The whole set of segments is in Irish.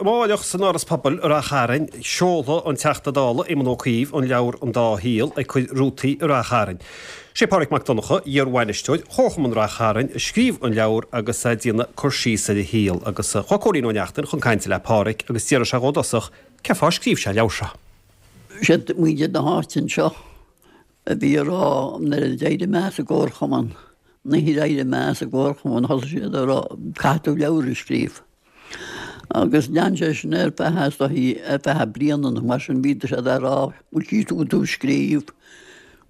Amáireach san Áras Pobail i Rath Chairn, seolfaidh an Teachta Dála Éamon Ó Cuív an leabhar An Dá Shaol ag cur rútaí i Rath Chairn. Sé Pádraig Mac Donncha, iar-bhainisteoir Chomharchumann Rath Chairn, a scríobh an leabhar agus é ag déanamh cur síos ar a shaol. Agus chuaigh Cóilín Ó Neachtain chun cainte le Pádraig agus d'fhiafraigh sé dhó i dtosach cén fáth ar scríobh sé an leabhar seo. Siad muintir na háite anseo a bhí ag rá nuair a d'éirigh mé as an gcomharchumann, an oíche ar éirigh mé as an gcomharchumann thosaigh siad ag rá caithfidh tú leabhar a scríobh. Agus lean sé sin ar feadh is dóichí ar feadh bliana nó mar sin bhí siad ag rá bhfuil sí tú tú scríobh,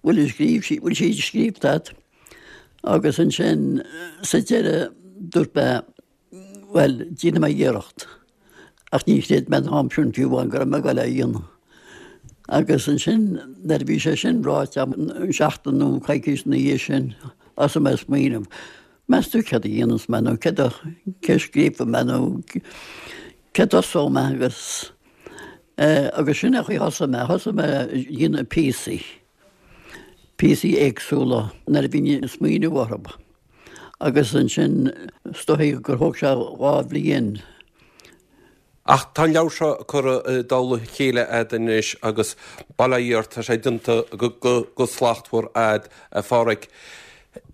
bhfuil scríobh sí bhfuil sí scríobhta agat. Agus ansin sa deireadh dúirt mé Bhuel, déanfaidh mé iarracht. Ach ní chreid mé an t-am sin fiú amháin go raibh mé ag dul é a dhéanamh. Agus ansin, nuair a bhí sé sin ráite agam, seachtain nó coicís ina dhiaidh sin, thosaigh mé ag smaoineamh, meas tú céard a dhéanfas mé nó céard a, cé a scríobhfaidh mé nó cé a dtosóidh mé agus, eh, agus sin é an chaoi a thosaigh mé. Thosaigh mé ag déanamh píosaí, píosaí éagsúla nuair a bhínn ag smaoineamh orthu. Agus ansin, is dóichí gur thóg sé 2 bhliain. Ach tá an leabhar seo curtha i dtoll a chéile a'd anois agus bail ó Dhia ort, tá sé déanta go slachtmhar a'd, a Pháraic.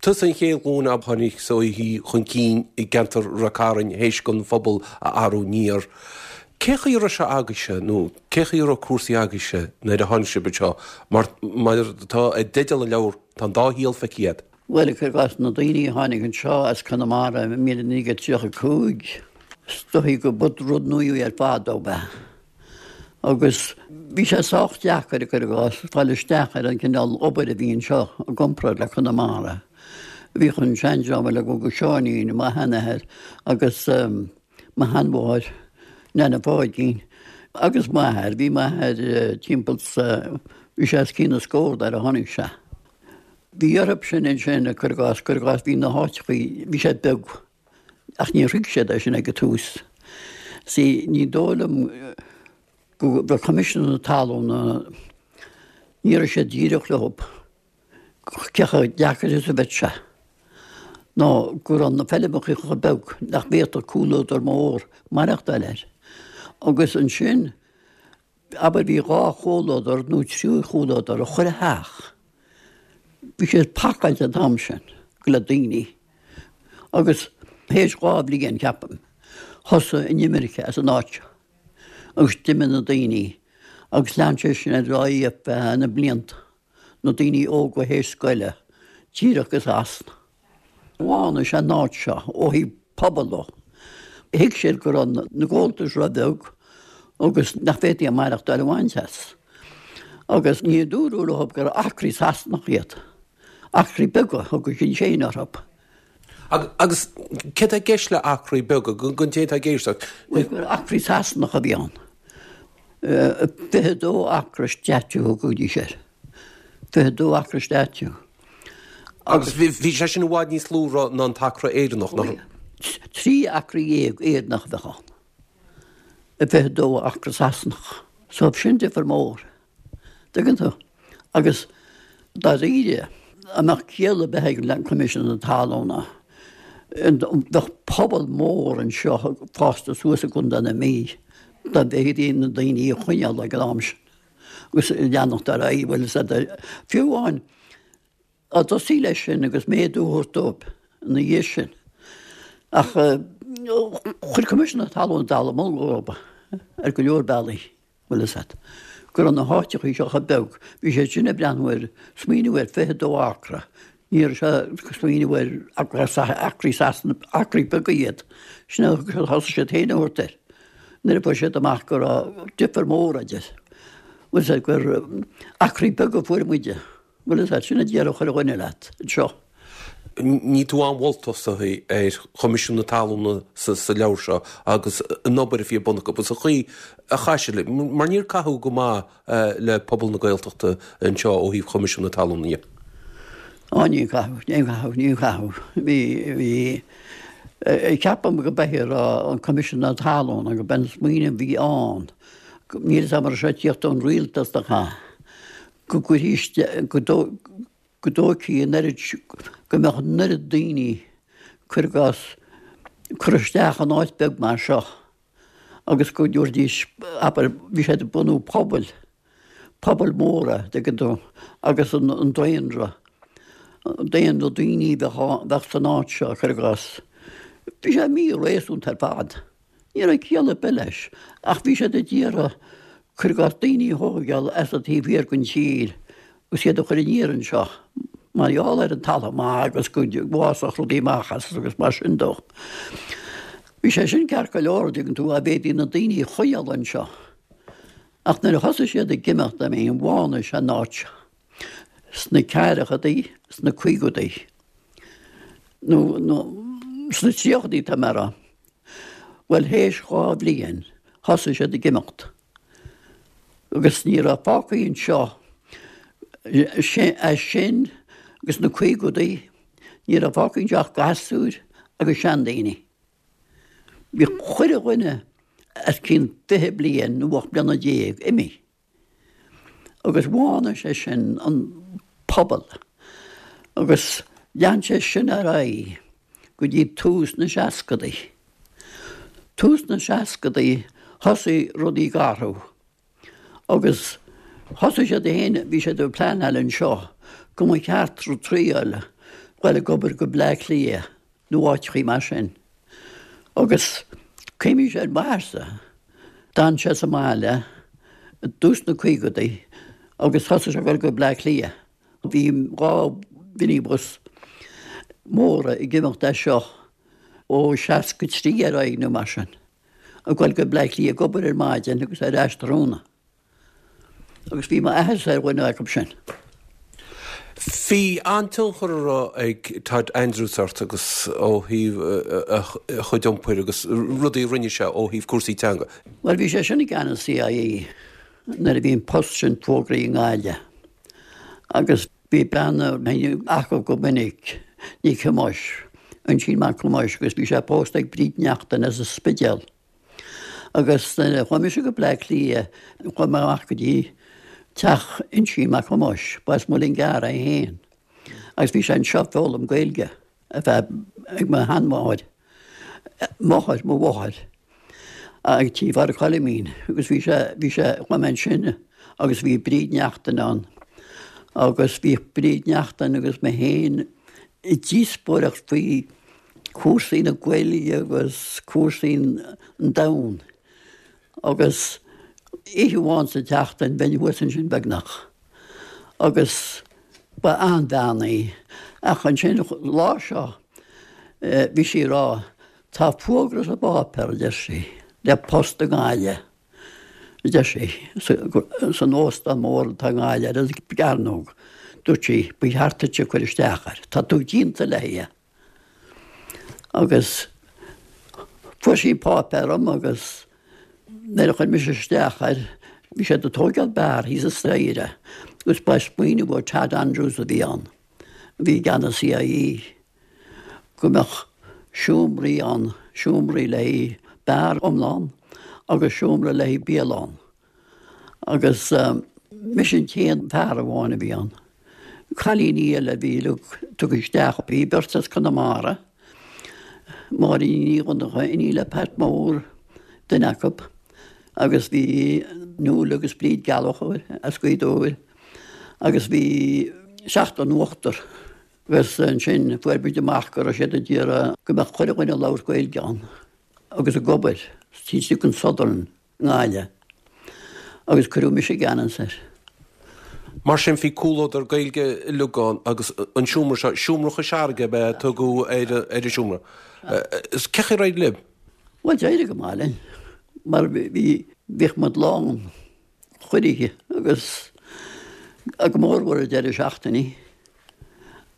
Tusa an chéad ghlúin a tháinig is dóichí chun cinn i gceantar Rath Cairn théis don phobal a athrú aniar. Cé chaoi a raibh sé agaibhse nó cé chaoi a raibh cúrsaí agaibhse nuair a tháinig sibh anseo? Mar mar atá i dteideal an leabhair, tá an dá shaol feicthe a'd. Bhuel, cuir i gcás, na daoine a tháinig anseo as Conamara i 1935, is dóichí go ba rud nua ar fad dóibh é. Agus bhí sé sách deacair, cuir i gcás, fáil isteach ar an cineál obair a bhí anseo i gcomparáid le Conamara. Bhíodh an seandream uilig ó go Seáinín, mo sheanathair, agus mo sheanmháthair, Nana Pháidín, agus m'athair. Bhí m'athair timpeall sa, bhí sé os cionn na scór nuair a tháinig sé. Bhí orthu sin ansin, cuir i gcás, cuir i gcás, bhí na háiteachaí, bhí siad beag, ach níor thuig siad é sin ag an tús. See, ní dóigh liom go raibh Coimisiún na Talún, ní raibh siad díreach leo cé chomh deacair is a bheadh sé, nó go raibh na feilmeacha chomh beag nach bhféadfadh comhluadar mór maireachtáil air. Agus ansin, Abair bhí 2 chomhluadar nó 3 chomhluadar i chuile theach. Bhí siad pacáilte an t-am sin le daoine agus théis 2 bhliain, ceapaim, thosaigh an imirce as an áit seo agus d'imigh na daoine agus lean sé sin ar aghaidh ar feadh na blianta. na daoine óga théis scoile, díreach go Sasana. Bhánaigh sé an áit seo ó thaobh pobail dó. Thuig siad go raibh na gabháltais róbheag agus nach bhféadfaí maireachtáil a bhaint as. Agus ní dúradh leo gur acraí Sasanach iad. Acraí beaga a thugadh siad féin orthu. Agus céard tá i gceist le acraí beaga, don té atá ag éisteacht? Bhuel, gur acraí Sasanach a bhí ann. 22 acra statue a thugaidís air. 22 acra statue. Agus bhí sé sin i bhfad níos lú ná an t-acra Éireannach, nach raibh? 13 acra Éireannach a bheadh ann. 22 acra Sasanach. So sin difear mór. Tuigeann tú? Agus dáiríre, dá mbeadh ciall ar bith ag Coimisiún na Talún, bheadh pobal mór anseo fásta suas i gContae na Mí dá bhféadfaí na daoine a choinneáil ag an am sin agus leanacht ar aghaidh, bhfuil fhios agat, fiú amháin Dá dtosaí leis sin agus méadú a thabhairt dóibh ina dhiaidh sin. Ach chuir Coimisiún na Talún dallamullóg orthu ar go leor bealaí, bhfuil fhios agat, go raibh na háiteachaí seo chomh beag. Bhí siad sin ag breathnú ar, smaoineamh ar 22 acra. Ní raibh sé ag smaoineamh ar acraí Sasana, acraí beaga iad. Sin a thosaigh siad féin a thabhairt air nuair a fuair siad amach go raibh difear mór idir, bhfuil fhios agat, gur acraí beaga a fuair muide. Bhfuil fhios agat, sin a déarfadh chuile dhuine leat anseo. Níl tú an-mholtach ar Choimisiún na Talún sa leabhar seo agus an obair a bhí ar bun acu agus an chaoi a chaith siad, mar níor caitheadh go maith le pobal na Gaeltachta anseo ó thaobh Choimisiún na Talún dhe. Á níor caitheadh, níor caitheadh, níor caitheadh. Bhí, bhí, ceapaim go b'é a raibh an Coimisiún na Talún go b'é an smaoineamh a bhí ann, níl fhios agam an raibh sé ag tíocht ón rialtas nó cad. go gcuirfí isteach, go dtógfaí an oiread, go mbeadh an oiread daoine, cuir i gcás, curtha isteach in áit beag mar seo. Agus go dtabharfaidís, abair, bhí siad ag bunú pobail, pobail mhóra, tuigeann tú, agus an daonra, daonra daoine a bheadh san áit seo, cuir i gcás. Bhí sé mí-réasúnta ar fad. Ní raibh ciall ar bith leis, ach bhí siad ag iarraidh, cuir i gcás, daoine a thógáil as an taobh thiar den tír agus iad a chur aniar anseo mar gheall ar an talamh maith agus go bhfásfadh rudaí amach as agus mar sin dó. Bhí sé sin ceart go leor, an dtuigeann tú, dá bhféadfaí na daoine a choinneáil anseo. Ach nuair a thosaigh siad ag imeacht, I mean, bhánaigh sé an áit seo sna ceathrachaidí, sna caogaidí, nó, nó sna tríochaidí tá mé a rá. Bhuel, théis dha bhliain, thosaigh siad ag imeacht. Agus ní raibh fágtha anseo as sin agus na caogaidí, ní raibh fágtha anseo ach gasúir agus seandaoine. Bhí chuile dhuine os cionn 20 bliain nó 18 bliana imithe. Agus bhánaigh sé sin an pobal agus lean sé sin ar aghaidh go dtí tús na seascadaí. Tús na seascadaí thosaigh rudaí ag athrú agus thosaigh siad féin, bhí siad ag pleanáil anseo go mba cheart triail dul ag obair go Bleá Cliath nó áiteachaí mar sin. Agus cuimhním ar m'athairse, d'fhan sé sa mbaile i dtús na caogadaí agus thosaigh sé ag dul go Bleá Cliath. Bhí dha mhinibus móra ag imeacht as seo ó 63 ar aghaidh nó mar sin, ag dul go Bleá Cliath ag obair ar maidin agus ar ais tráthnóna. Agus bhí m'athairse ar dhuine acu sin. Bhí an-tionchar a raibh ag Todd Andrews ort agus ó thaobh a chuid iompair agus rudaí a rinne sé ó thaobh cúrsaí teanga. Bhuel, bhí sé sin i gceannas CIE nuair a bhí an post sin fógraithe i nGaillimh agus bhí bean a bhínn acu go minic, Nic Thomáis, Uinsíonn Mac Thomáis agus bhí sé pósta ag Bríd Neachtain as an Spidéal. Agus nuair a chuaigh mise go Bleá Cliath, chuaigh mé amach go dtí teach Uinsíonn Mac Thomáis, ba as Muileann gCearr é féin, agus bhí sé anseo ag foghlaim Gaeilge ar feadh ag mo sheanmháthair, máthair mo mháthar, ag Tí Phádraic Choilimín, agus bhí sé, bhí sé, chuaigh mé ansin agus bhí Bríd Neachtain ann, agus bhí Bríd Neachtain agus mé féin ag díospóireacht faoi cúrsaí na Gaeilge agus cúrsaí an domhain agus oíche amháin sa tseachtain bheinn thuas ansin beagnach agus ba an-bhean í ach ansin lá seo bhí sí ag rá tá fógra sa bpáipéar a deir sí le post i nGaillimh a deir sí san óstán mór atá i nGaillimh ar an gCearnóg dúirt sí ba cheart duitse cur isteach air tá tú déanta le é. Agus fuair sí an páipéar dom agus nuair a chuir mise isteach air, bhí siad ag tóigeáil beár thíos an staighre agus ba smaoineamh ó Tad Andrews a bhí ann, a bhí i gceannas CIE, go mbeadh seomraí ann, seomraí le haghaidh beár iomlán agus seomra le haghaidh bialann. Agus mise an t-aon fear amháin a bhí ann. Cailíní eile a bhí uilig tugtha isteach, bhí beirt as Conamara, Máirín Ní Dhonncha, iníon le Pat Mór, duine acu, agus bhí Nuala agus Bríd Gallchóir as Gaoth Dobhair, agus bhí seachtar nó ochtar. Agus ansin fuair muid amach go raibh siad ag iarraidh go mbeadh chuile dhuine ag labhairt Gaeilge ann agus ag obair taobh istigh den Southern. nGaillimh, agus cuireadh mise i gceannas air. Mar sin, bhí comhluadar Gaeilge uilig ann agus an seomra seo, Seomra Chois Fharraige ab ea a tugadh ar an seomra. Cén chaoi ar éirigh libh? Bhuel, d'éirigh go maith linn, mar bhí, bhíodh muid lán chuile oíche agus go mórmhór ar deireadh seachtainí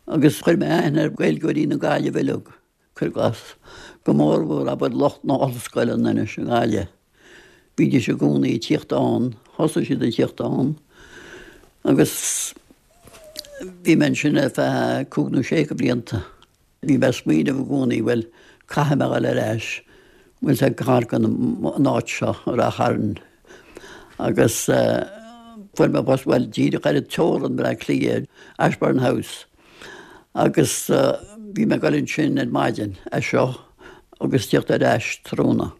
agus chuir mé aithne ar Ghaeilgeoirí na Gaillimhe uilig. Cuir i gcás, go mórmhór abair lucht na hollscoileanna anois i nGaillimh, bhídís i gcónaí ag tíocht ann, thosaigh siad ag tíocht ann agus bhí mé ansin ar feadh cúig nó sé de bhlianta. Bhí mé ag smaoineamh i gcónaí, bhuel, caithfidh mé a dhul ar ais, bhfuil sé gar don an áit seo, Ráth Chairn. Agus fuair mé post, bhuel, díreach ar an teorainn Bleá Cliath, Ashbourne House. Agus bhí mé ag dul ansin ar maidin as seo agus tíocht ar ais tráthnóna.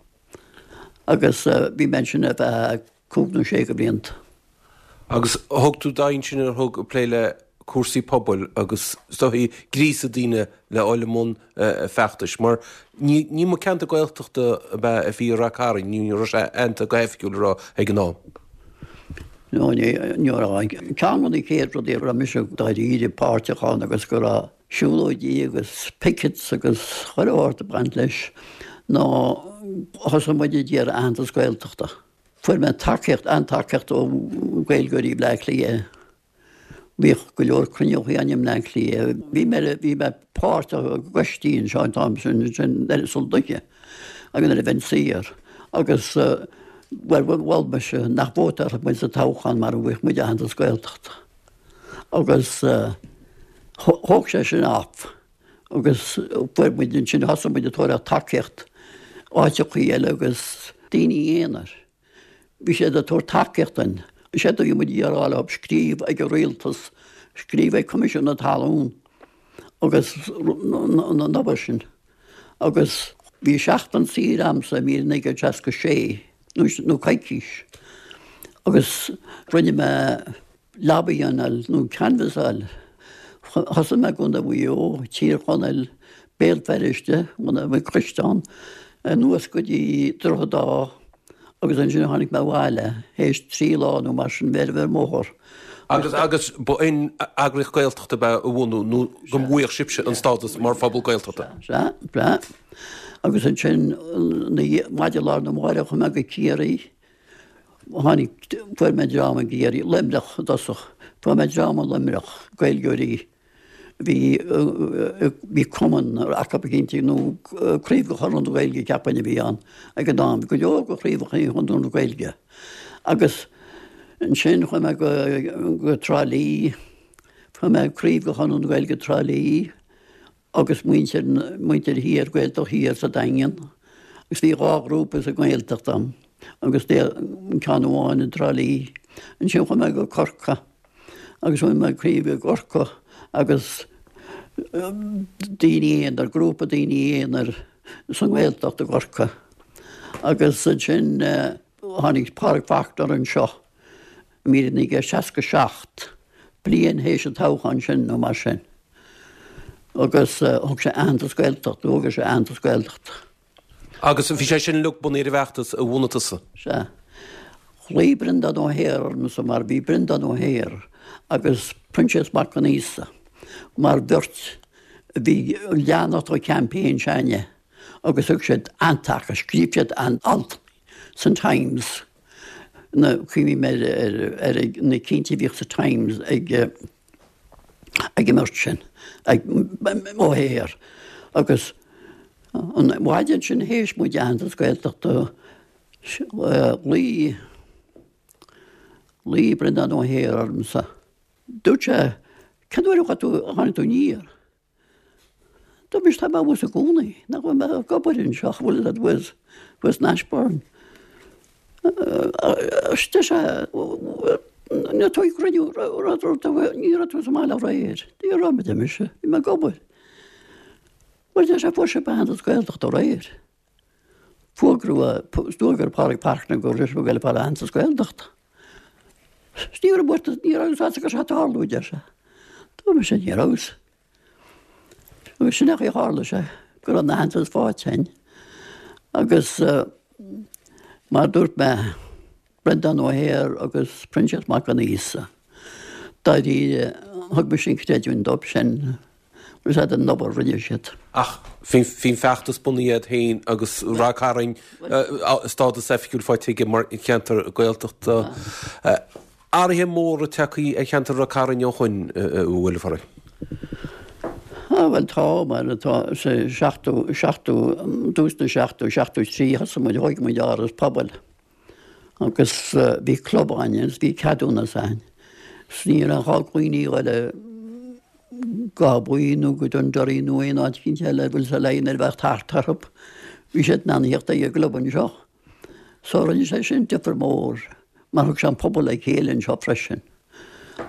Agus bhí mé ansin ar feadh cúig nó sé de bhlianta. Agus thug tú d'aghaidh ansin ar thug ag plé le cúrsaí pobail agus is dóichí gríosadh daoine le dhul i mbun feachtais mar ní ní mba ceantar Gaeltachta ab ea a bhí i Rath Cairn, ní raibh sé aitheanta go hoifigiúil a raibh ag an am. No ní ní raibh. Ceann de na chéad rudaí a raibh mise dáiríre páirteach ann agus go raibh siúlóidí agus pickets agus chuile shórt ag baint leis ná thosaigh muid ag iarraidh aitheantas Gaeltachta. Fuair mé tacaíocht, an-tacaíocht ó Ghaeilgeoirí Bhleá Cliath. Bhíodh go leor cruinniúchaí againn i mBleá Cliath. Bhí mé, bhí mé páirteach i gcoistí anseo an t-am sin, ansin ar an dúiche agus nuair a bheinn saor. Agus bhuel, mhol mise nach vótálfadh muid sa toghchán mara bhfaigheadh muid aitheantas Gaeltachta. Agus thóg sé sin off. Agus fuair muid ansin, thosaigh muid ag tabhairt tacaíocht áiteachaí eile agus daoine aonair. Bhí siad ag tabhairt tacaíocht dúinn. Séard a bhí muid ag iarraidh a rá leo, scríobh ag an rialtas, scríobh ag Coimisiún na Talún agus an obair sin. Agus bhí seachtain saoire a'msa i 1966, nó coicís, agus rinne mé lobbying nó canbhasáil. Thosaigh mé i gContae Mhaigh Eo, Tír Chonaill, Béal Feirste, bhunaigh mé coiste ann, anuas go dtí Droichead Átha agus ansin tháinig mé abhaile théis trí lá nó mar sin bheith ar an mbóthar. Agus agus ba in eagraíocht Gaeltachta ab ea a bhunú nó go bhfaigheadh sibhse an stádas mar phobal Gaeltachta? Sea, sea. Agus ansin maidin lá arna mháireach chuaigh mé go Ciarraí Tháinig, fuair mé dream i gCiarraí, Luimneach i dtosach, fuair mé dream i Luimneach, Gaeilgeoirí, bhí, bhí cumann acu cinnte, nó craobh de Chonradh na Gaeilge cheapfainn a bhí ann ag an am, bhí go leor de chraobhacha Chonradh na Gaeilge. Agus ansin chuaigh mé go, go Trá Lí, fuair mé craobh de Chonradh na Gaeilge Trá Lí, agus muintir, muintir thiar, Gaeltacht thiar sa Daingean. Agus bhí dhá ghrúpa sa nGaeltacht ann agus ceann amháin i dTrá Lí. Ansin chuaigh mé go Corcaigh agus bhunaigh mé craobh i gCorcaigh agus daoine aonair, grúpa daoine aonair sa nGaeltacht i gCorcaigh. Agus ansin tháinig Pádraig Faulkner anseo i 1967, bliain théis an toghcháin sin nó mar sin. Agus thug sé aitheantas Gaeltachta, thóg sé aitheantas Gaeltachta. Agus bhí sé sin uilig bunaithe ar an bhfeachtas a bhunaigh tusa? Sea. Ghlaoigh Breandán Ó hEithir ormsa mar bhí Breandán Ó hEithir agus Proinsias Mac Con Íosa mar bheirt a bhí ag leanacht an champaign s'againne agus thug siad an-taca, scríobh siad an-alt san Times. Na, cuimhním ar, ar, ar na cinntí a bhíodh sa Times ag, ag an mbeirt sin, ag Ó hEithir. Agus an mhaidin sin théis muid aitheantas Gaeltachta, ghlaoigh, ghlaoigh Breandán Ó hEithir ormsa. Dúirt sé, cén uair a chuaigh tú, a tháinig tú aniar? Dúirt mise, tá mé abhus i gcónaí, nach bhfuil mé ag obair anseo, bhfuil fhios agat, abhus, abhus in Ashbourne. Deir sé, ní raibh tú ag cruinniú, ní raibh tú sa mbaile aréir. Ní raibh, a deir mise, bhí mé ag obair. Bhuel, deir sé, fuair sibh aitheantas Gaeltachta aréir. Fógraíodh, d'fhógair Pádraig Faulkner go raibh sibh ag goil ag fáil aitheantas Gaeltachta. Ní raibh buartha, ní raibh fhios agat go raibh sé ag tarlú, a deir sé. Dúirt mise, ní raibh. Agus sin é chaoi a tharla sé, go raibh an aitheantas faighte againn. Agus mar a dúirt mé, Breandán Ó hEithir agus Proinsias Mac Con Íosa, dáiríre, thug mise an creidiúint dóibh sin. Bhfuil fhios agat an obair a rinne siad. Ach bhí an feachtas bunaithe agat féin agus Ráth Cairn stádas oifigiúil faighte aige mar cheantar Gaeltachta. Athruithe móra tagtha ar cheantar Ráth Cairn ó shoin, an bhfuil, a Phádraig? Ah bhuel tá, mar atá sa seachtó, seachtó, dtús na seachtó, 73 thosaigh muid, thóig muid áras pobail. Agus bhí club againn agus bhí ceadúnas againn. 'S ní raibh gá do dhaoine a ghoil go Áth Buí nó go Dunderry nó aon áit eicínt eile bhfuil fhios agat nuair a bheadh tart orthu. Bhí siad in ann a theacht ag an gclub anseo. So rinne sé sin difear mór mar thug sé an pobal le chéile anseo freisin.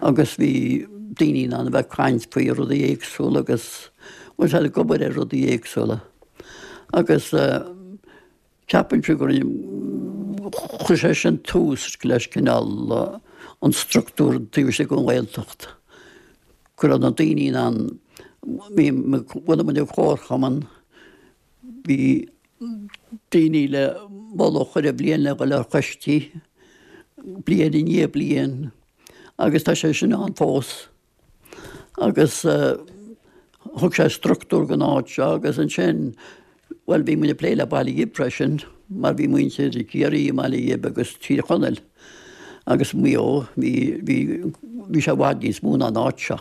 Agus bhí daoine in ann a bheith ag caint faoi rudaí éagsúla agus bhfuil fhios agat ag obair ar rudaí éagsúla. Agus Ceapaimse go rinne. Chuir sé sin tús leis cineál an structúr taobh istigh den Ghaeltacht, go raibh na daoine in ann, bhí, bhunaigh muid an comharchumann, bhí daoine le moladh chuile bhliain le dhul ar choistí, bliain i ndiaidh bliain, agus tá sé sin ann fós. Agus thug sé structúr don áit seo agus ansin, bhuel, bhí muid ag plé le Baile Ghib freisin mar bhí muintir Ciarraí i mBaile Ghib agus Tír Chonaill agus Maigh Eo, bhí, bhí, bhí sé i bhfad níos mó ná an áit seo.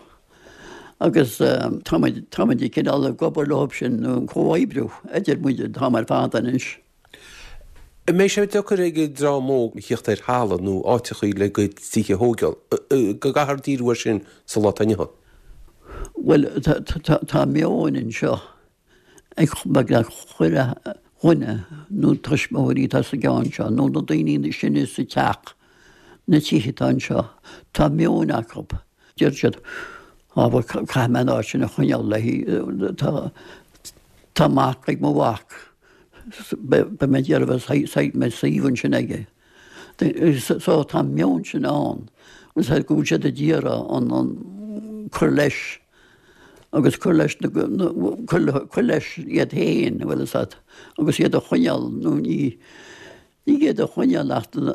Agus tá muid, tá muid ag cineál ag obair leo sin, nó an comhoibriú idir muid an t-am ar fad anois. An mbeidh sé deacair ag an dream óg a thíocht ar thalamh nó áiteachaí le a gcuid tithe a thóigeáil? Go gcaithfear díriú air sin sa lá atá inniu ann. Bhuel, tá meon anseo ag beagnach chuile dhuine nó tuismitheoirí atá sa gceann seo nó na daoine is sine sa teach, na tithe atá anseo, tá meon acu. Deir siad, Á, bhuel, caithfidh mé an áit sin a choinneáil léi, tá mac ag mo mhac, beidh mé ag iarraidh bheith mé suíomh ansin aige. So tá an meon sin ann, go bhfuil siad ag iarraidh an, an, cur leis agus cur leis na, cur leis iad féin, bhfuil fhios agat, agus iad a choinneáil nó ní, Ní iad a choinneáil ach an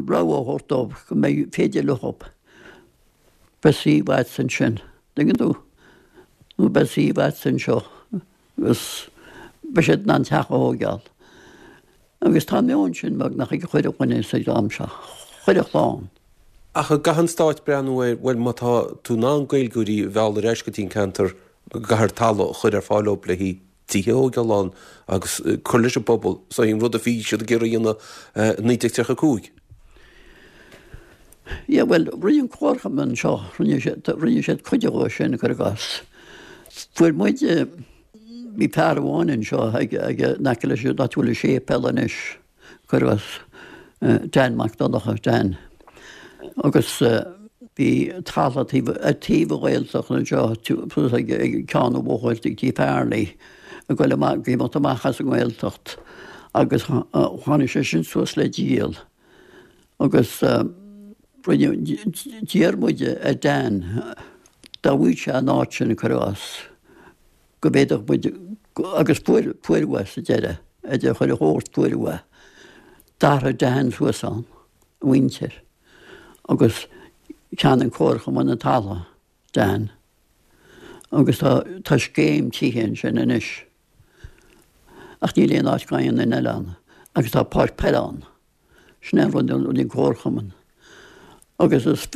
rogha a thabhairt dóibh go mbeidh féidir leo beidh suíomh agat ansin, tuigeann tú, nó beidh suíomh agat anseo agus beidh siad in ann teach a thóigeáil. Agus tá an meon sin beagnach ag chuile dhuine sa dream seo, chuile chlann. Ach an gcaithfidh an Stát breathnú ar, bhuel má tá tú in ann Gaeilgeoirí a mhealladh ar ais go dtí an ceantar go gcaithfear talamh a chur ar fáil dóibh le haghaidh tithe a thóigeáil ann agus cur leis an bpobal. So an rud a bhí siad ag iarraidh a dhéanamh i 1935. Yeah, bhuel, rinne an comharchumann anseo, rinne siad, rinne siad cuid dhó sin, cuir i gcás. Fuair muid, bhí fear amháin anseo ag, ag, in aice leis an áit a bhfuil an séipéal anois, cuir i gcás, Dan Mac Donncha, Dan. Agus bhí talamh taobh, ar taobh an Ghaeltacht anseo, suas ag ceann an bhóthair ag Tí Farley, ag goil amach, ag imeacht amach as an nGaeltacht agus tháinig sé sin suas le díol agus rinne, d'iarr muid ar Dan dá bhfaigheadh sé an áit sin, cuir i gcás. go bhféadfadh muid, agus fuair, fuair uaidh sa deireadh, idir chuile shórt fuair uaidh. D'athraigh Dan suas ann, a mhuintir, agus cheannaigh an comharchumann an talamh, Dan. Agus tá, tá scéim tithe ansin anois. Ach níl aon áit d'aon duine eile ann. Agus tá páirc peile ann. Sin é an rud a rinne an comharchumann. Agus is,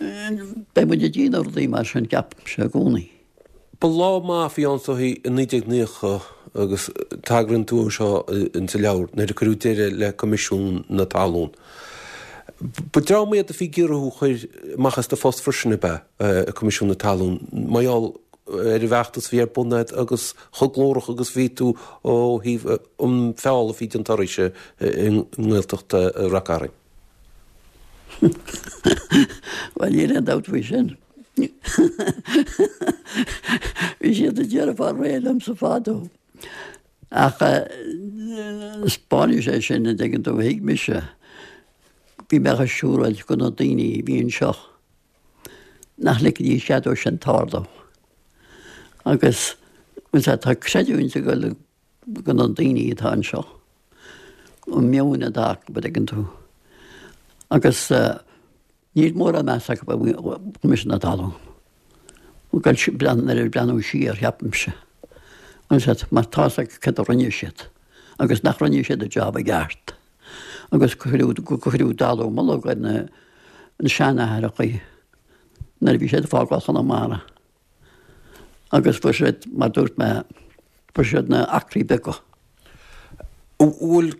beidh muid ag déanamh rudaí mar sin, ceapaimse, i gcónaí. Ba lá maith a bhí ann is dóichí i 1990 agus tagraíonn tú anseo insa leabhar nuair a cuireadh deireadh le Coimisiún na Talún. Ba dream iad a bhí ag iarraidh thú a chur amach as do phost freisin ab ea Coimisiún na Talún mar gheall ar an bhfeachtas a bhí ar bun agat agus chomh glórach agus a bhí tú ó thaobh an feall a bhí déanta oraibhse i nGaeltacht Rath Cairn. Bhuel, níl aon dabht faoi sin. Bhí siad ag iarraidh fáil réidh liomsa fadó. Ach 'spáineann sé sin, an dtuigeann tú, thuig mise, bhí mé á siúráil do na daoine a bhí anseo. nach ligfidís cead dó sin tarlú. Agus tá creidiúint ag dul do na daoine atá anseo, an meon atá acu, an dtuigeann tú. Agus níl mórán meas acu ar Choimisiún na Talún. Nuair a breathnú siar, ceapaimse. Mar tá 'fhios acu cad a rinne siad agus nach rinne siad a job i gceart. agus cuireadh dallamullóg ar na seanaithreachaí nuair a bhí siad ag fágáil Chonamara agus fuair siad, mar dúirt mé, fuair siad na acraí beaga. An bhfuil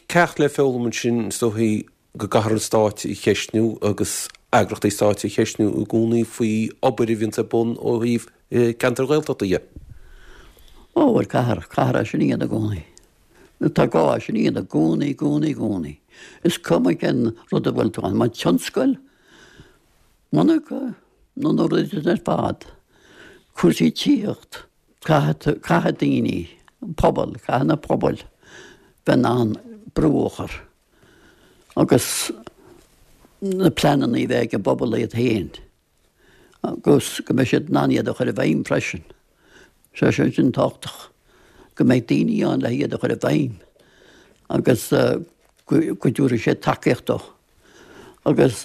ceacht le foghlaim ansin is dóichí go gcaithfear an Stát a cheistniú agus eagrachtaí stáit a cheistniú i gcónaí faoi obair a bhíonns ar bun ó thaobh ceantair Ghaeltachta dhe? Ó bhuel caithfear, caithfear é sin a dhéanamh i gcónaí. Tá gá é sin a dhéanamh i gcónaí, i gcónaí, i gcónaí. Is cuma cén rud a bhfuil tú ann, más tionscal, monarcha nó na rudaí sin ar fad, cúrsaí tithíocht, caithfidh, caithfidh daoine, an pobal, caithfidh na pobail bheith in ann. brú a chur agus na pleananna a bheith ag an bpobal iad féin agus go mbeidh siad in ann iad a chur i bhfeidhm freisin. Sé sin sin tábhachtach, go mbeidh daoine ann le iad a chur i bhfeidhm agus go dtabharfaidh siad tacaíocht dó. Agus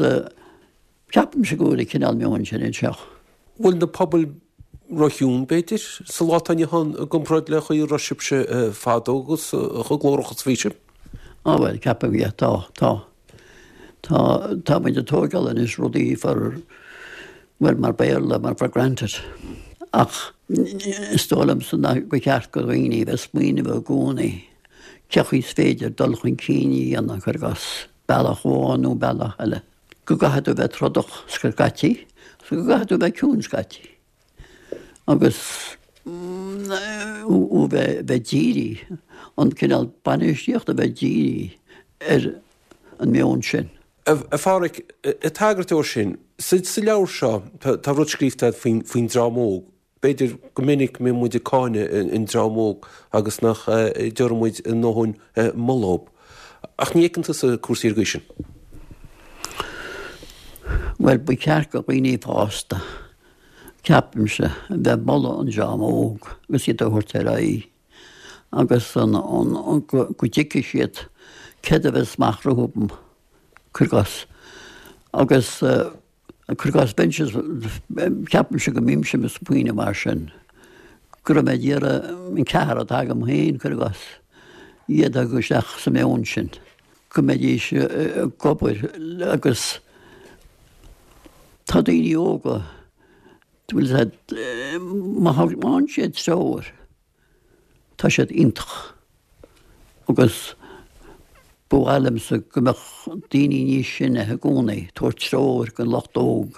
ceapaimse go bhfuil an cineál meoin sin anseo. Bhfuil na pobail róchiúin, b'fhéidir, sa lá atá inniu ann i gcomparáid le chaoi a raibh sibhse fadó agus chomh glórach is a bhí sibh? Á bhuel, ceapaim, yeah, tá, tá. Tá, tá muid ag tóigeáil anois rudaí for, bhuel, mar Béarla, mar for granted. Ach is dóigh liomsa nach, gur cheart do dhaoine a bheith ag smaoineamh i gcónaí cé chaoi is féidir dul chun cinn a dhéanamh, cuir i gcás, bealach amháin nó bealach eile. Go gcaithfidh tú bheith trodach scaití, agus go gcaithfidh tú bheith ciúin scaití. Agus ó bheith bheith dírithe, an cineál bainistíochta a bheith dírithe ar an meon sin. A Pháraic, ag tagairt dó sin, sa leabhar seo tá rud scríofa agat faoin dream óg. B'fhéidir go minic go mbíonn muid ag cáineadh an dream óg agus nach dtabharann muid a ndóthain moladh dóibh. Ach ní fheiceann tusa cúrsaí ar an gcaoi sin. Bhuel, ba cheart do dhaoine fásta, ceapaimse, a bheith ag moladh an dream óg agus iad a thabhairt ar aghaidh agus go dtuigfidh siad céard a bheas amach rompu, cuir i gcás. Agus. Cuir i gcás, bheinnse, ceapaimse go mbímse ag smaoineamh mar sin, go raibh mé ag iarraidh an ceathrar atá agam féin, cuir i gcás, iad a chur isteach sa meon sin, go mbeidís ag obair agus tá daoine óga, bhfuil a fhios agat, má fhaigheann siad treoir, Tá siad iontach agus ba mhaith liomsa go mbeadh daoine níos sine i gcónaí ag tabhairt treoir don lucht óg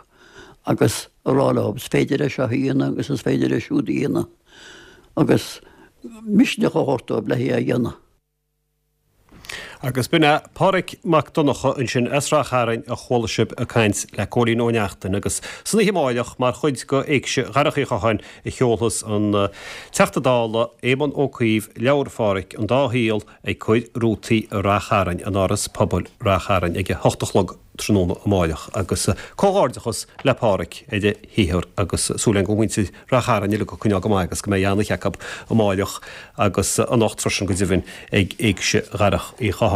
agus a rá leo is féidir é seo a dhéanamh agus is féidir é siúd a dhéanamh agus misneach a thabhairt dóibh le é a dhéanamh. Agus b'in é Páraic Mac Donncha ansin as Rath Chairn a chuala sibh ag caint le Cóilín Ó Neachtain agus san oíche amáireach mar chuid de Éigse Dharach Uí Chatháin a sheolfas an Teachta Dála Éamon Ó Cuív leabhar Pháraic, An Dá Shaol, ag cur rútaí i Rath Chairn in Áras Pobail Rath Chairn ag a hocht a chlog tráthnóna amáireach agus comhghairdeachas le Páraic ar a shaothar agus súil againn go bhfuil muintir Rath Chairn uilig ag coinneáil go maith agus go mbeidh an-oíche acu amáireach agus anocht freisin go deimhin ag Éigse Dharach Uí Chatháin.